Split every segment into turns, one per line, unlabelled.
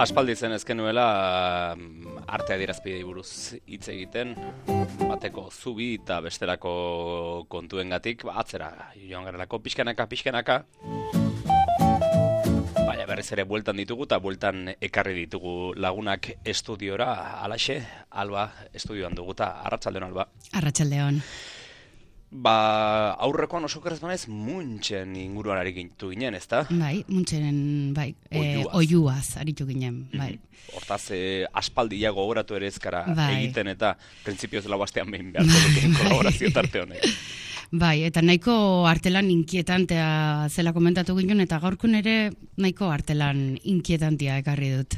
Aspaldi zen ezken nuela arte adierazpidei buruz hitz egiten, bateko zubi eta bestelako kontuengatik atzera joan garelako pixkanaka. Baina berriz ere bueltan ditugu eta bueltan ekarri ditugu lagunak estudiora, alaxe, Alba estudioan dugu eta arratsaldeon Alba.
Arratsaldeon.
Aurrekoan oso kerrezmanez Muntxen inguruan ari gintu ginen, ezta?
Bai, Muntxenen, oiuaz aritu ginen, bai.
Hortaz, aspaldiago gogoratu ere ezkara egiten eta printzipioz lau astean behin beharko duten kolaborazio tarte honek.
Bai, eta nahiko artelan inkietantea zela komentatu ginen, eta gaurkun ere nahiko artelan inkietantea ekarri dut.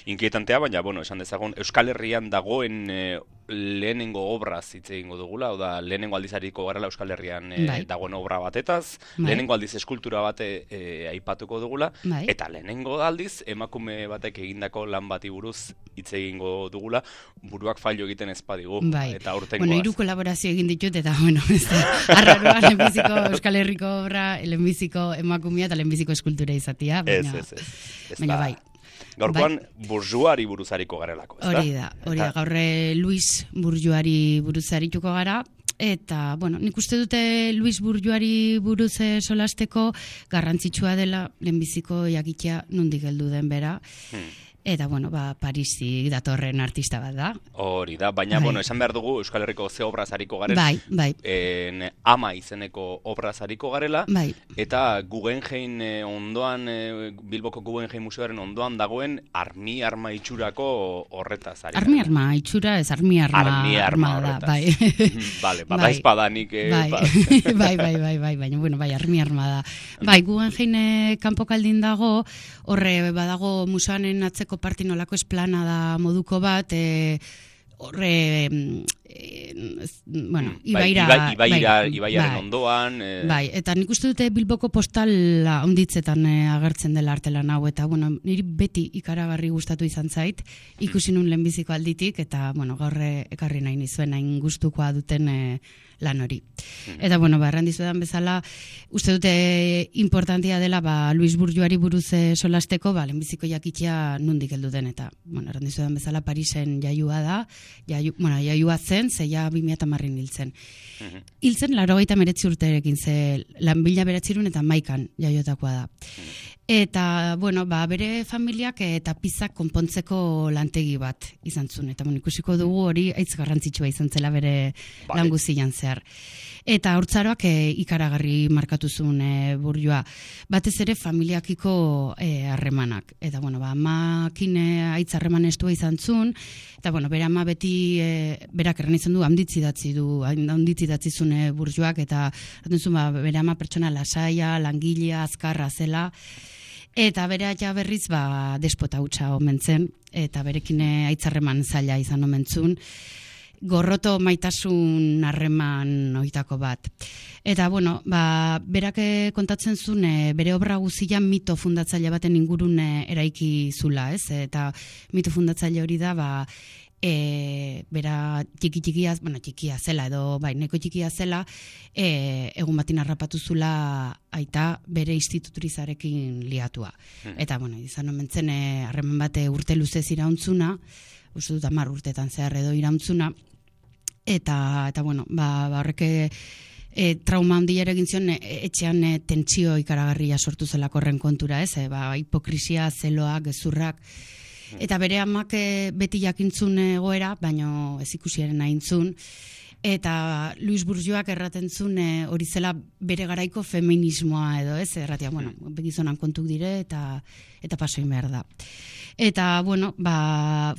Inkietantea, baina, esan dezagun, Euskal Herrian dagoen lehenengo obraz hitz egingo dugula, hau da, lehenengo aldizariko garela Euskal Herrian dagoen obra batetaz, lehenengo aldiz eskultura bate aipatuko dugula, eta lehenengo aldiz emakume batek egindako lan bati buruz hitz egingo dugula, buruak fallo egiten ez badigu, eta aurtengoaz.
Hiru kolaborazio egin ditut, eta, arraroa lehenbiziko Euskal Herriko obra, lehenbiziko emakumea eta lehenbiziko eskultura izatea, baina bai.
Gaurkoan burjuari buruzariko garelako, ez da?
Hori da, gaur Luis Burjuari buruzarituko gara, eta, nik uste dute Luis Burjuari buruz solasteko garrantzitsua dela lehenbiziko jakitea nondik heldu den bera, eta, Parisik datorren artista bat da.
Hori da, baina, esan behar dugu Euskal Herriko ze obraz hariko garela, Ama izeneko obraz hariko garela, eta Guggenheim ondoan, Bilboko Guggenheim Museoaren ondoan dagoen arma itxurako horretaz hariko.
Arma itxura, ez arma da, bai.
Bale, bada izpadanik.
Bai, baina, arma da. Bai, Guggenheim kanpokaldin dago, horre badago museoanen atzeko partinolako esplanada moduko bat,
Ibaiaren ondoan.
Bai, eta nik uste dute Bilboko postala onditzetan agertzen dela artelan hau, eta niri beti ikaragarri gustatu izan zait, ikusi nun lehenbiziko alditik, eta gaur ekarri nahi nizuen, hain gustukoa duten lan hori. Eta, erran dizuetan bezala, uste dute importantia dela, Luis Burjuari buruz solasteko, lehenbiziko jakitea nondik heldu den, eta, erran dizuetan bezala, Parisen jaiua da, jaiua zen, zeia 2010 hiltzen. Hiltzen, 89 urterekin, ze lan 1900 eta 11 jaiotakoa da. Eta, bere familiak eta pizak konpontzeko lantegi bat izan zuen. Eta, ikusiko dugu hori aitz garrantzitsua izan zela bere lan guztian zehar. Eta haurtzaroak ikaragarri markatu zuen Burjua. Batez ere familiakiko harremanak. Eta, amakin aitz harreman estua izan zuen. Eta, bere ama beti, berak erran izan du, handitzidatzi zuen Burjuak. Eta, bere ama pertsona lasaia, langilea, azkarra zela. Eta bere aita berriz despota hutsa omen zen, eta berekin aitzarreman zaila izan omen zuen, gorroto maitasun harreman oitako bat. Eta, berak kontatzen zuen, bere obra guzia mito fundatzaile baten ingurun eraiki zula, ez? Eta mito fundatzaile hori da, bera txikia zela edo neko txikia zela, egun batin harrapatu zula aita bere instituturizarekin liatua. Eta, izan omen zen harreman bate urte luzez irauntzuna, uste dut 10 urtetan zehar edo irauntzuna, eta horrek trauma handia egin zion, etxean tentsio ikaragarria sortu zelako horren kontura, ez? Hipokrisia, zeloak, gezurrak, eta bere amak beti jakintzun egoera, baino ez ikusiaren ahintzun, eta Luis Burjuak erraten zuen hori zela bere garaiko feminismoa edo, ez? Erratia, begizonan kontuk dire eta pasoin behar da. Eta,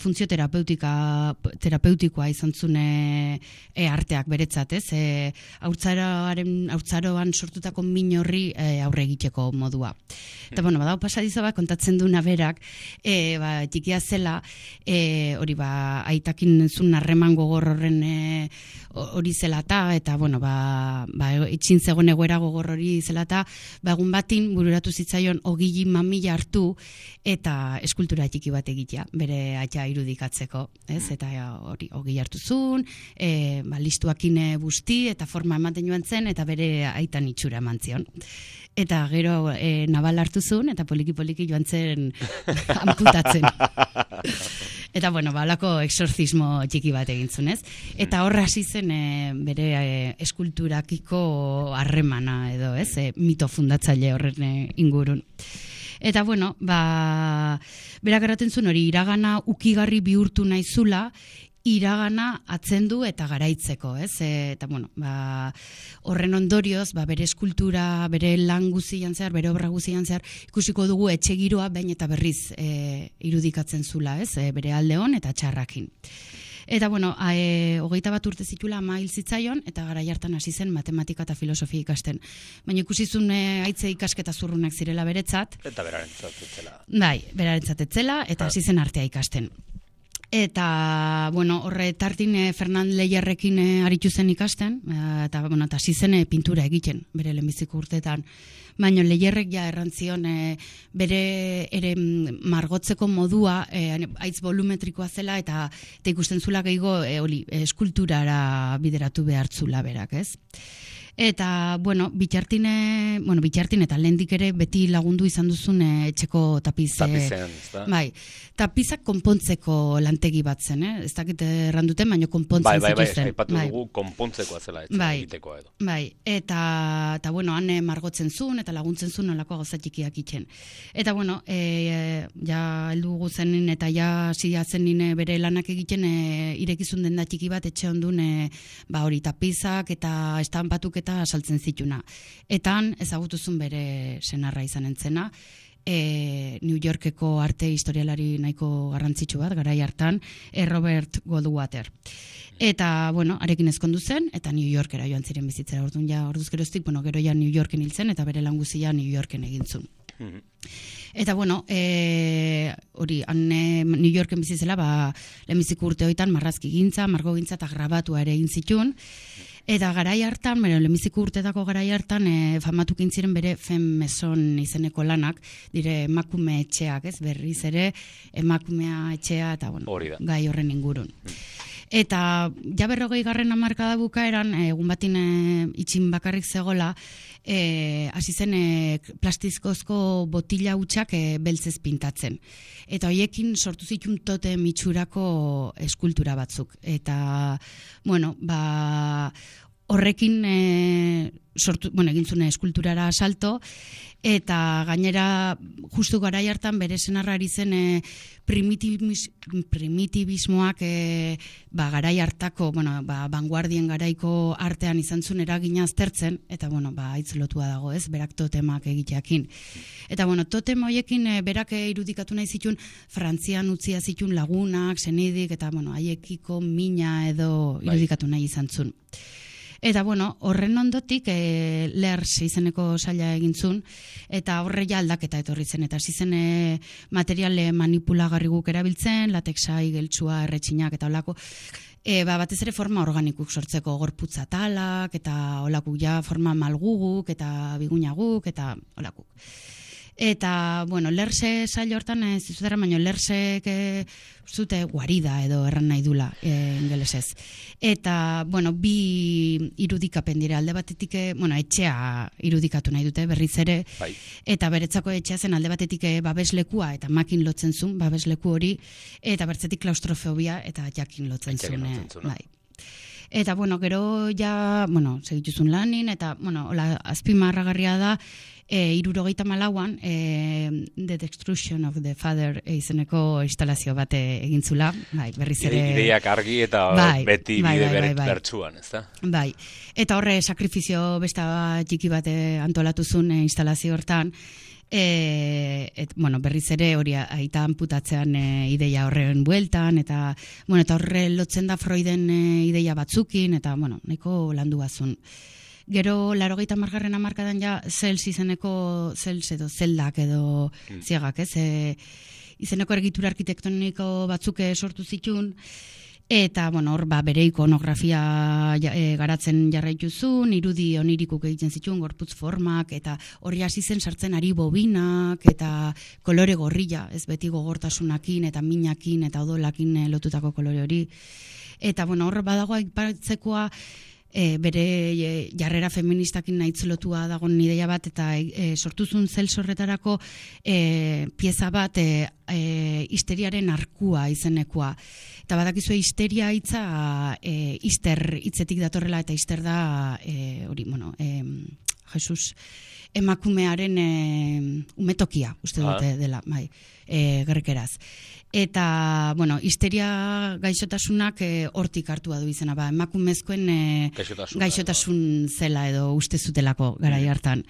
funtzio terapeutikoa izan zuen arteak beretzat, ez? Haurtzaroan sortutako min horri aurre egiteko modua. Eta, badao pasadizo kontatzen duena berak, txikia zela, hori aitakin zuen harreman gogor hori zelata, eta, bueno, itxin zegoen egoera gogor hori zelata, egun batin bururatu zitzaion ogili mamila hartu, eta eskultura txiki bat egitea, bere aita irudikatzeko, ez? Eta hori ogili hartu zuen, listuakin busti, eta forma ematen joan zen, eta bere aitan itxura eman zion. Eta gero nabal hartu zuen, eta poliki-poliki joan zen amputatzen. Eta, bueno, balako exorcismo txiki bat egin zuen, ez? Eta horra hasi zen bere eskulturakiko harremana edo, ez? Mito fundatzaile horren ingurun. Eta, bueno, berak erraten zuen hori iragana ukigarri bihurtu nahi zula, iragana atzendu eta garaitzeko, ez? Eta, bueno, horren ondorioz, bere eskultura, bere lan guzian zehar, bere obra guzian zehar, ikusiko dugu etxe giroa behin eta berriz irudikatzen zula, ez? Bere aldeon eta txarrakin. Eta, bueno, 21 urte zitula ama hil zitzaion, eta garai hartan hasi zen matematika eta filosofia ikasten. Baina ikusizun haitze ikasketa zurrunak zirela beretzat.
Eta berarentzat etzela.
Bai, berarentzat etzela, eta hasi zen artea ikasten. Eta, bueno, horre tartin Fernand Leierrekin aritu zen ikasten, eta, bueno, eta hasi zen pintura egiten, bere lehenbiziko urteetan. Baina Leierrek ja errantzion bere ere margotzeko modua haitz volumetrikoa zela, eta ikusten zula gehiago eskulturara bideratu behartzula berak, ez? Eta, bueno, bitxartin eta lehendik ere beti lagundu izan duzun etxeko tapiz.
Tapizean, ez da?
Bai, tapizak konpontzeko lantegi bat zen, ez dakit erranduten, baina konpontzen zituzten.
Bai, aipatu dugu konpontzekoa zela etxe egitekoa edo.
Bai, eta, bueno, han margotzen zuen eta laguntzen zuen nolako gauza txikiak itxen. Eta, bueno, ja heldu guzenin eta ja zia zenin bere lanak egiten irekizun denda txiki bat etxe ondun hori tapizak eta estanpatuk eta saltzen zituna. Eta han ezagutuzun bere senarra izan entzena, New Yorkeko arte historialari nahiko garrantzitsu bat, garai hartan, Robert Goldwater. Eta, bueno, arekin ezkondu zen, eta New Yorkera joan ziren bizitzera. Orduan ja, orduz geroztik, bueno, gero ja New Yorken hil zen, eta bere lan guzia New Yorken egin zuen. Eta, bueno, hori, New Yorken bizitzela, lehenbiziko urte hoitan marrazki gintza, margo gintza eta grabatua ere egin zituen. Eta garai hartan, lehenbiziko urtetako garai hartan, famatukin ziren bere Femme-Maison izeneko lanak, dire emakume etxeak, ez? Berriz ere, emakumea etxea, eta, bueno, gai horren ingurun. Eta, ja 40. hamarkada bukaeran, egun batin itxin bakarrik zegola, hasi zen plastizkozko botila hutsak beltzez pintatzen. Eta hoiekin sortu zitun tote mitxurako eskultura batzuk. Eta, bueno, horrekin egin zuen eskulturara salto, eta gainera justu garai hartan bere senarra ari zen primitibismoak garai hartako, vanguardien garaiko artean izan zuen eragina aztertzen, eta haitz lotua dago, ez, berak totemak egiteakin. Eta totem hoiekin berak irudikatu nahi zituen Frantzian utzia zituen lagunak, senidik, eta haiekiko mina edo irudikatu nahi izan zuen. Eta, horren ondotik Lers izeneko saila egin zuen, eta horre ja aldaketa etorri zen, eta hasi zen materiale manipulagarri guk erabiltzen, latexai, geltsua, erretxinak, eta holako, batez ere forma organikuk sortzeko gorputza talak, eta holakuk ja forma malguguk, eta bigunaguk, eta holakuk. Eta, Lerse sail hortan zizutera, baina Lersek zute guarida edo erran nahi dula ingelesez. Eta, bi irudikapen dira alde batetik, etxea irudikatu nahi dute berriz ere, eta beretzako etxea zen alde batetik babeslekua, eta makin lotzen zuen, babesleku hori, eta bertzetik klaustrofobia, eta jakin lotzen zuen. Eta, gero ja, segituzun lanin, eta, azpimarragarria da, 74an The Destruction of the Father izeneko instalazio bat egin zula, berriz ere...
Ideiak argi eta beti bide bertsuan, ez da?
Bai, eta horre sakrifizio besta txiki bat antolatu zuen instalazio hortan, berriz ere hori aita anputatzean ideia horren bueltan, eta horre lotzen da Freuden ideia batzukin, eta nahiko landu bazun. Gero, 80. hamarkadan ja, Zels izeneko, Zels edo zeldak edo ziagak, ez? Izeneko ergitura arkitektoniko batzuk sortu zituen, Eta, bueno, hor, bere ikonografia garatzen jarraituzun, irudi onirikuk egiten zituen, gorputz formak, eta hori hasi zen sartzen ari bobinak, eta kolore gorrilla, ez beti gogortasunakin, eta minakin, eta odolakin lotutako kolore hori. Eta, bueno, hor, badago aipatzekoa, bere jarrera feministakin nahitz lotua dagoen ideia bat, eta sortuzun zelsorretarako pieza bat histeriaren arkua izenekoa. Eta badakizue histeria hitza hister hitzetik datorrela, eta hister da hori, bueno, Jesus emakumearen umetokia, uste dute dela, bai, grekeraz. Eta, bueno, histeria gaixotasunak hortik hartua du izena, emakumezkoen gaixotasun zela edo uste zutelako garai hartan.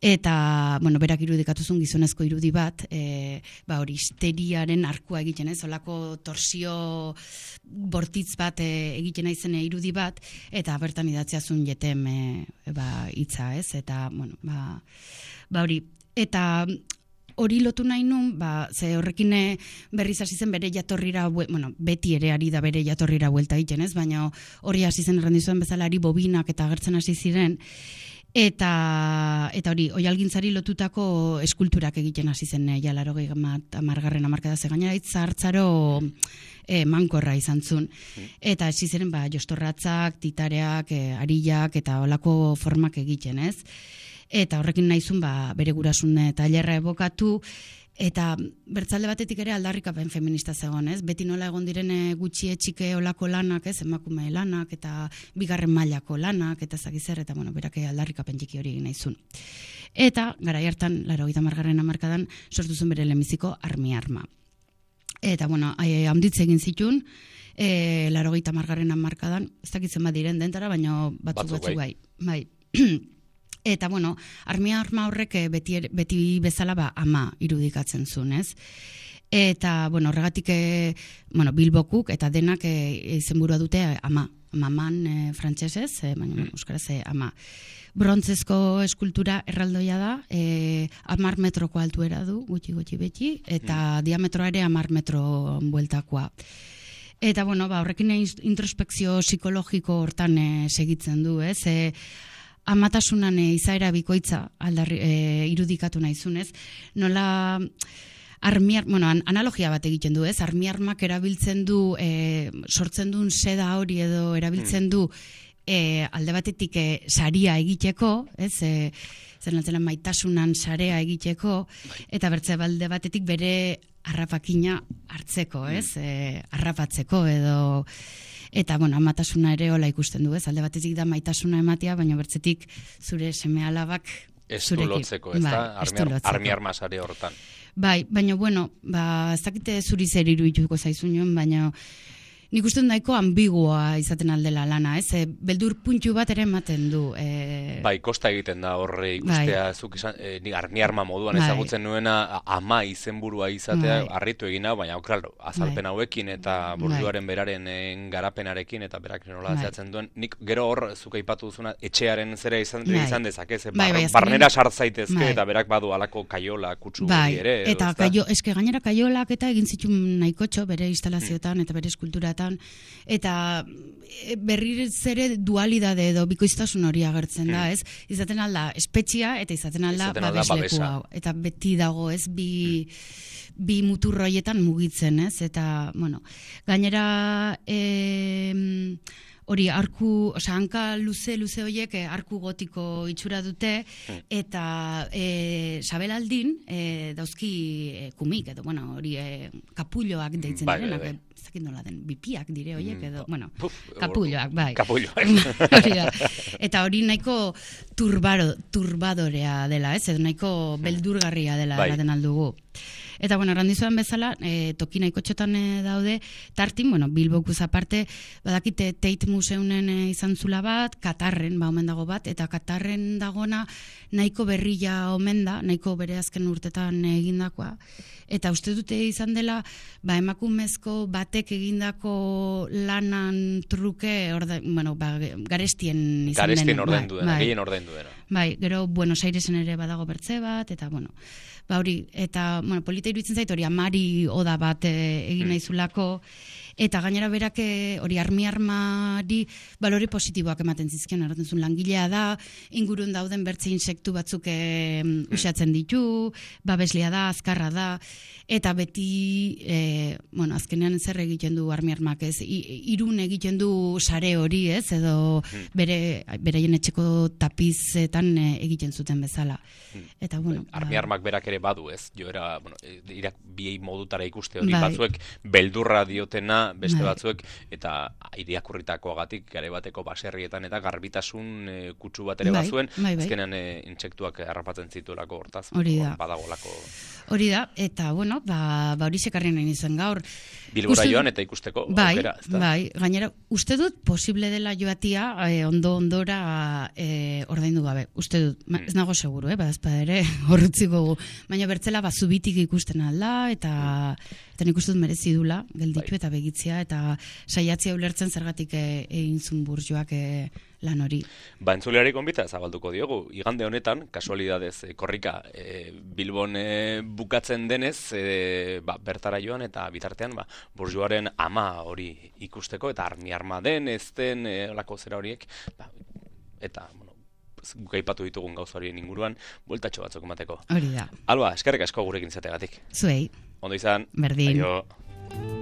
Eta, bueno, berak irudikatuzun gizonezko irudi bat, hori histeriaren arkua egiten, olako torsio bortitz bat egiten aizen irudi bat, eta bertan idatziazun jetem hitza, ez? Eta, bueno, hori, eta hori lotu nahi nun, ze horrekin berriz hasi zen bere jatorrira, bueno, beti ere ari da bere jatorrira buelta egiten, ez? Baina hori hasi zen errandizuen bezala ari bobinak eta agertzen hasi ziren, eta hori, oihalgintzari lotutako eskulturak egiten hasi zen ja 80. hamarkada, ze gainera hitz hartzaro mankorra izan zuen. Eta hasi ziren jostorratzak, titareak, arillak eta olako formak egiten, ez? Eta horrekin nahizun bere gurasun tailerra ebokatu, eta bertzalde batetik ere aldarrikapen feminista zegoen, ez? Beti nola egon diren gutxietxike olako lanak, ez? Emakume lanak, eta bigarren mailako lanak, eta zakizer, eta bueno, berak aldarrikapen txiki hori nahizun. Eta, garai hartan, 80. hamarkadan, sortu zuen bere lehenbiziko armi-arma. Eta, bueno, handitze egin zituen, 80. hamarkadan, ez dakitzen bat diren dentara, baina batzuk bai. Eta, bueno, armi-arma horrek beti bezala ama irudikatzen zuen, ez? Eta, bueno, horregatik, Bilbokuk eta denak izenburua dute ama. Maman frantsesez, baina euskaraz ama. Brontzezko eskultura erraldoia da, 10 metroko altuera du, gutxi beti, eta diametroa ere 10 metro bueltakoa. Eta, bueno, horrekin introspekzio psikologiko hortan segitzen du, ez? Amatasunan izaera bikoitza irudikatu nahizunez, nola analogia bat egiten du, ez? Armi-armak erabiltzen du, sortzen duen seda hori edo erabiltzen du alde batetik saria egiteko, ez? Zer maitasunan sarea egiteko, eta bertze alde batetik bere harrapakina hartzeko, ez? Harrapatzeko edo... Eta, bueno, amatasuna ere hola ikusten du, ez? Alde batetik da maitasuna ematea, baina bertzetik zure seme-alabak
zurekin. Lotzeko, ez da? Armi-arma sare hortan.
Bai, baina, bueno, ez dakite zuri zer irudituko zaizun, baina nik uste nahiko ambigua izaten aldela lana, ez? Beldur puntu bat ere ematen du.
Bai, kosta egiten da horre ikustea, zuk izan, armi-arma moduan ezagutzen nuena ama izenburua izatea, harritu egin hau, baina claro, azalpen hauekin eta borduaren beraren garapenarekin eta berak nola zehatzen duen, nik gero hor zuk aipatu duzuna etxearen zera izan dezakez, barnera sartzaitezke eta berak badu alako kaiola kutsu ere.
Eta eske gainera kaiolak eta egin zituen nahikotxo bere instalazioetan eta bere eskultura eta berriz ere dualidade edo bikoiztasun hori agertzen da, ez? Izaten alda espetxia eta izaten alda babeslekua. Eta beti dago, ez? Bi muturroietan mugitzen, ez? Eta, bueno, gainera hori arku, hanka luze horiek arku gotiko itxura dute, eta sabelaldin dauzki kumik, edo, bueno, hori kapulloak deitzen direnak, zakin nola den, bipiak dire horiek, edo, bueno, kapulloak, bai.
Kapulloak.
Eta hori nahiko turbadorea dela, ez? Edo nahiko beldurgarria dela eraten aldugu. Eta, bueno, errandizuan bezala, toki nahiko txotan daude, tartin, bueno, Bilbokuz aparte, badakite Tate Museunen izan zula bat, Katarren, omen dago bat, eta Katarren dagona nahiko berria omen da, nahiko bere azken urtetan egindakoa. Eta uste dute izan dela, emakumezko batek egindako lanan truke, garestien izan den.
Garestien ordaindu dena, gehien ordaindu dena.
Bai, gero Buenos Airesen ere badago bertze bat, eta bueno, ba hori, eta bueno, polita iruditzen zait hori amari oda bat egin naizulako, eta gainera berak hori armari balore positiboak ematen zizkion, erraten zuen langilea da, ingurun dauden bertze insektu batzuk usatzen ditu, babeslia da, azkarra da, eta beti, bueno, azkenean zer egiten du armak ez, irun egiten du sare hori ez, edo beraien etxeko tapizetan egiten zuten bezala. Eta bueno,
armak berak ere badu ez, joera, bueno, biei modutara ikuste hori, batzuek beldurra diotena, beste batzuek, eta irakurritakoagatik gare bateko baserrietan eta garbitasun kutsu bat ere bazuen, azkenean intsektuak harrapatzen zituelako hortaz, badagolako.
Hori da, eta bueno, hori sekarri nahi nizuen gaur.
Bilbora joan eta ikusteko aukera, ezta?
Bai, gainera, uste dut posible dela joatia ondora ordaindu gabe. Uste dut, ez nago seguru, badazpada ere horretziko gu. Baina bertzela zubitik ikusten alda, eta nik uste dut merezi dula, gelditu eta begitzia, eta saiatzia ulertzen zergatik egin zun burjoak lan hori.
Entzuleari gonbita zabalduko diogu. Igande honetan, kasualidadez, korrika, Bilbon bukatzen denez, bertara joan eta bitartean, burjoaren ama hori ikusteko, eta arma den, ez den, olako zera horiek, eta, guk aipatu ditugun gauza horien inguruan, bueltatxo batzuk emateko.
Hori da.
Alba, eskerrik asko gurekin zategatik.
Zuei.
Ondo izan.
Berdin.
Aio.